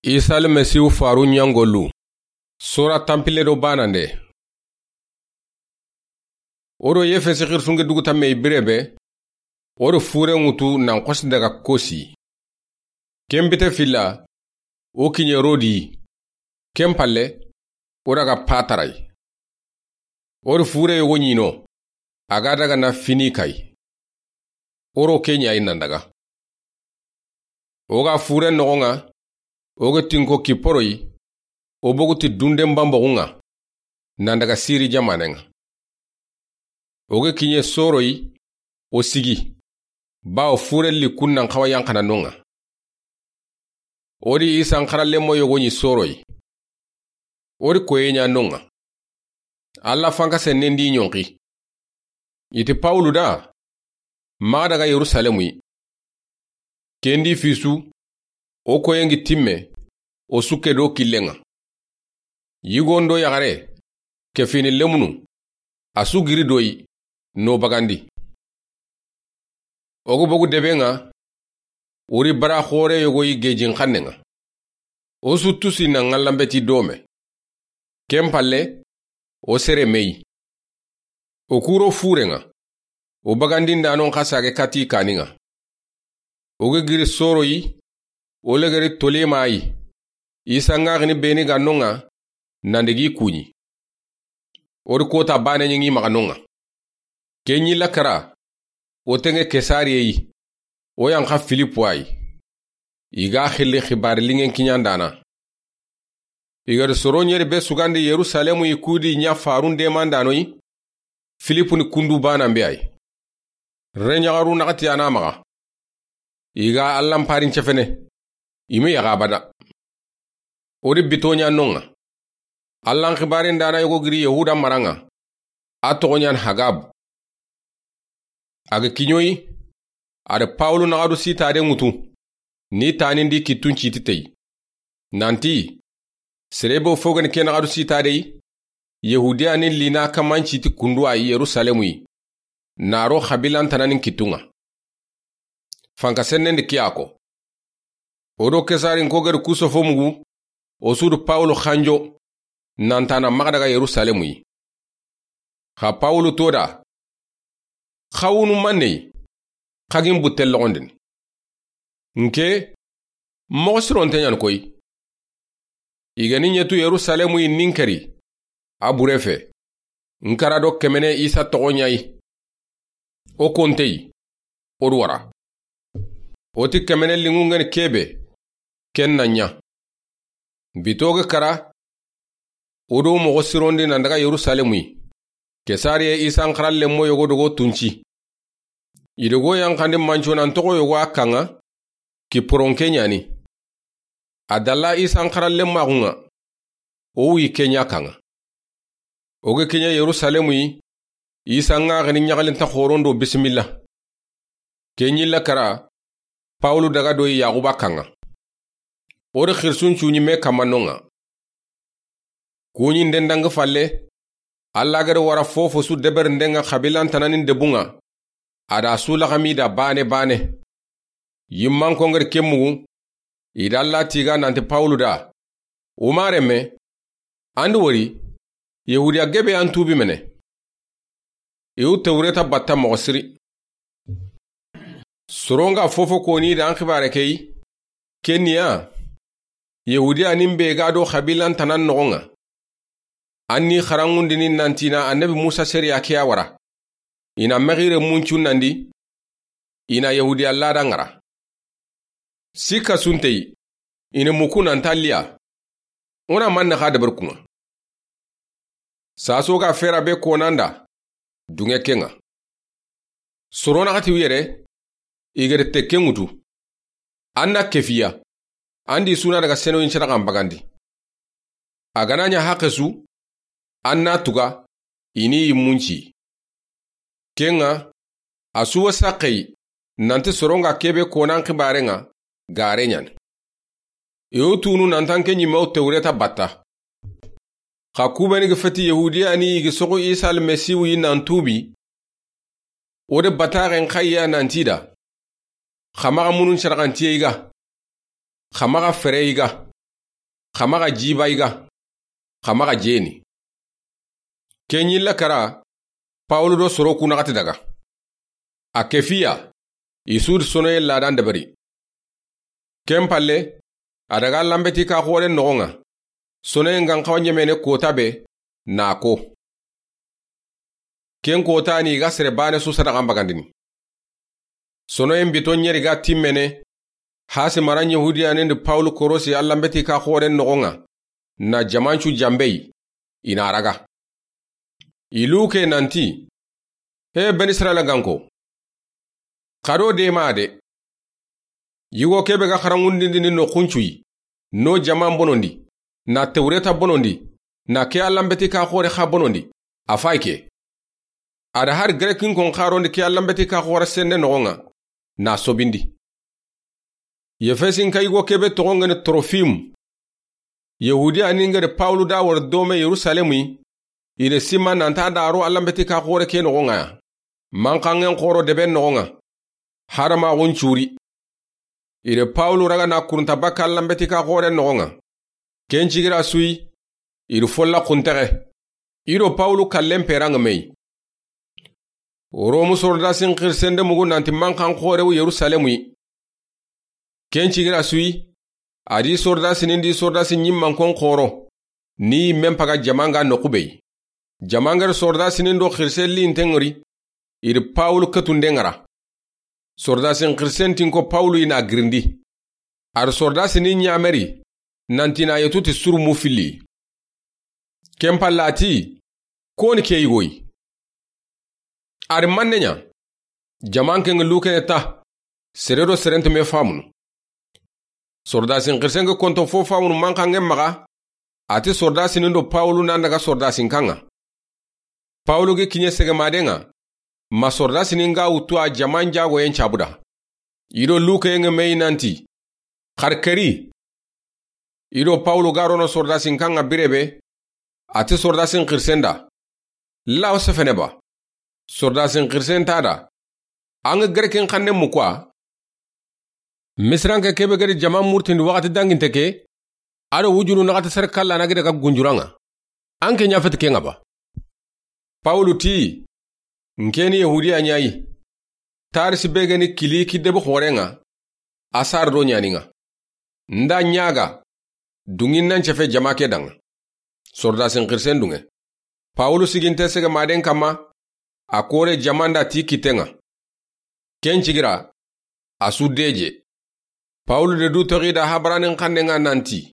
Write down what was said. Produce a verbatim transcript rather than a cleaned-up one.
Isa Almasihu faru ɲangolu. Sora tanpille do banande. O do Efesi xirisunke dugu tamme i bire be, o do fure ŋutu nan xosi daga kosi. Ken bite filla, o kiɲe Rodi, ken palle, o daga Patara yi. O do fure yogo ɲino, a ga daga na Finika yi. O ro ke ɲa yi nan daga. O ga fure noxon ŋa, o ga tinko Kiporo yi, o bogu ti dunden banboxun ŋa, nan daga Siri jamanen ŋa. O ga kiɲe Soro yi, o sigi, bawo fure likkun nan xawa yanxana non ŋa. O di Isan xarallenmo yogo ɲi Soro yi. O di koye ɲa non ŋa. Alla fanka sennen di ɲonxi. I ti Pawulu da, maxa daga Yerusalemu yi. Ken di fisu, o koyen gi timme, o sukke do killen ŋa. Yigon do yaxare, ke fini lemunu, a su giri do yi, no bagandi. O ga bogu deben ŋa, o ri bara xore yogo yi gejin xannen ŋa. O su tusi na ŋallanbeti dome. Ken palle, o sere me yi. O kuro furen ŋa, o bagandindanon xa sage kati kanin ŋa. O ga giri Soro yi, o legeri Tolema yi. Isa ŋaxini beni ga non ŋa, nan digi kuɲi. O di kota bane ɲi ŋi maxa non ŋa. Ke ɲi la kara, o tenge Kesariye yi, o yanxa Filipu yi. I ga xilli xibari lingen kiɲandana. I ga di soro ɲeri be sugandi Yerusalemu yi kudi ɲa farun demandano yi, Filipu ni kundu banan be yi. Reɲaxaru naxati a na maxa. I ga Allan parin cefene. I me yaxa abada. O di bito ɲa non ŋa. Allan xibarin dana yogo giri Yahuda maran ŋa. A toxo ɲan Hagabu. A ga kiɲoyi, a da Pawulu naxadu sitade ŋutu, ni tanindi kittun citi tey. Nanti, serebe fo gani ke naxadu sitade yi, Yahudiya ni lina kaman citi kundu a yi Yerusalemu yi, na ro xabilan tananin kittun ŋa. Fanka sennen di kiyako. O do Kesarin ko gari kusofo mugu, o su du Pawulu xanjo, nantana maxa daga Yerusalemu yi. Xa Pawulu to da, xawunu manne yi, xagin butte loxondini. Nke, moxo sironte ɲan koyi. I ga ni ɲetu Yerusalemu yi ninkeri, a bure fe. Nkara do kemene Isa toxo ɲa yi. O konte yi, o du wara. O ti kemene lingu ngeni kebe, ken na ɲa. Bito ga kara, o do moxo sirondi nan daga Yerusalemu yi. Kesariye Isan xarallenmo yogo dogo tunci. I dogo yanxandi manco nan toxo yogo a kan ŋa, Kiporonke ɲani. A dalla Isan xarallenmaxun ŋa, o wuyi ke ɲa kan ŋa. O ga kiɲe Yerusalemu yi, Isa ŋaxini ɲaxalinta xoron do bisimilla. Ke ɲi la kara, Pawulu daga do yi Yaxuba kan ŋa. O di xirisun cuɲi me kamma non ŋa. Kuɲinden dangi falle, Alla ga da wara fofo su deberinden ŋa xabilan tananin debun ŋa, a da su laxami da bane bane. Yimmanko ngari ke mugu, i da Alla tiga nanti Pawulu da, Umare me, an di wori, Yahudiya gebe an tubi mene. I wu Tewreta batta moxo siri. Soronga fofo koni da an xibare ke yi, ke ni ya, Yahudiya nin be ga do xabilan tanan noxon ŋa. An ni xarangundini nantina annabi Musa sariya ke ya wara. I na mexire muncu nandi, i na Yahudiya lada ŋara. Sikka sunteyi, i na muku nan talliya. O na manne xa deber kun ŋa. Saso ga fera be konanda, dunge ke ŋa. Soro naxati wi yere, i gere tekke ŋutu. An na kefiya, an di suna daga senoyin sadaxan bagandi. A ga na ɲa haqe su, an na tuga, i ni yimmunci. Ke ŋa, a suwa saxeyi, nanti soronga kebe konan xibare ŋa, gare ɲani. I wo tunu nantan ke ɲimme wo Tewreta batta. Xa kubeni ga feti Yahudiya ni i ga soxu Isa Almasihu yi nan tubi. O de bataxen xayya nanti da. Xa maxa munun saraxantiye i ga. Xa maxa fere i ga. xa maxa jiba i ga, xa maxa jeni. Ken yilla kara, Pawulu do soro ku naxati daga. A kefiya, i su di sonoyen ladan deberi. Ken palle, a daga lanbeti ka xoren noxon ŋa, sonoyen gan xawa ɲemene kota be, na ko. Ken kota ni i ga sere bane su sadaxan bagandini. Sonoyen bito ɲeri ga timmene, hasi maran Yahudiyanen di Pawulu korosi a lanbeti ka xoren noxon ŋa, na jamancu janbei, i na raga. I luke nanti, He Beni Israila ganko, xa do dema de. Yigo kebe ga xarangundindini no xuncuyi, no jaman bonondi, na Tewreta bonondi, na ke a lanbeti ka xore xa bonondi, a fay ke. A da hari Grekin kon xarondi ke a lanbeti ka xore sende noxon ŋa, na sobindi. Yefesin ka yigo kebe toxon ŋeni Trofimu. Yahudiyanin ga di Pawulu da wari dome Yerusalemu yi, i de sima nanta da ro a lanbeti ka xore ke noxon ŋa ya. Manxanŋen xoro deben noxon ŋa, hadamaxun curi. I de Pawulu raga na kurunta bakka a lanbeti ka xoren noxon ŋa. Ken cigira su yi, i di folla xuntexe. I do Pawulu kallen peran ŋa me yi. Romu sordasin xirisende mugu nanti manxan xorewu Yerusalemu yi. Ken cigira su yi, a di sordasinin di sordasi ɲimmankon xoro, ni men paga jaman ga noxu be yi. Jaman ga di sordasinin do xirisen linten ŋori, i di Pawulu ketunden ŋara. Sordasin xirisen tinko Pawulu i na girindi. A di sordasinin ɲameri, nanti na yetu ti suru mu filli. Ken palla a ti, Koni ke yigo yi? A di manne ɲa? Jaman ken ŋa lukene ta, sere do sere nta me famunu. Sordasin xirisen ga konto fo famunu manxanŋen maxa, a ti sordasinin do Pawulu nan daga sordasin kan ŋa. Pawulu gi kiɲe segemaden ŋa, ma sordasinin ga wutu a jaman jagoyen cabuda. I do lukeyen ŋa me yi nanti, Xari keri. I do Pawulu ga rono sordasin kan ŋa bire be, a ti sordasin xirisen da, Lawo sefene ba? Sordasin xirisen ta da, An ga Grekin xanne mu kuwa? Misiranke kebe ga di jaman murtindi waxati danginte ke, a do wujunu naxati sere kalla na gida ga gunjuran ŋa. An ke ɲa feti ken ŋa ba? Pawulu ti, N ke ni Yahudiya ɲa yi. Tarisi be ga ni Kiliki debi xoren ŋa, a sar do ɲanin ŋa. N da ɲaga, dunŋin nan cefe jama ke dan ŋa. Sordasin xirisen dunŋe. Pawulu siginte segemaden kanma, a kore jaman da ti kitten ŋa. Ken cigira, a su deje. Pawulu de du toxi da habaranin xannen ŋa nanti,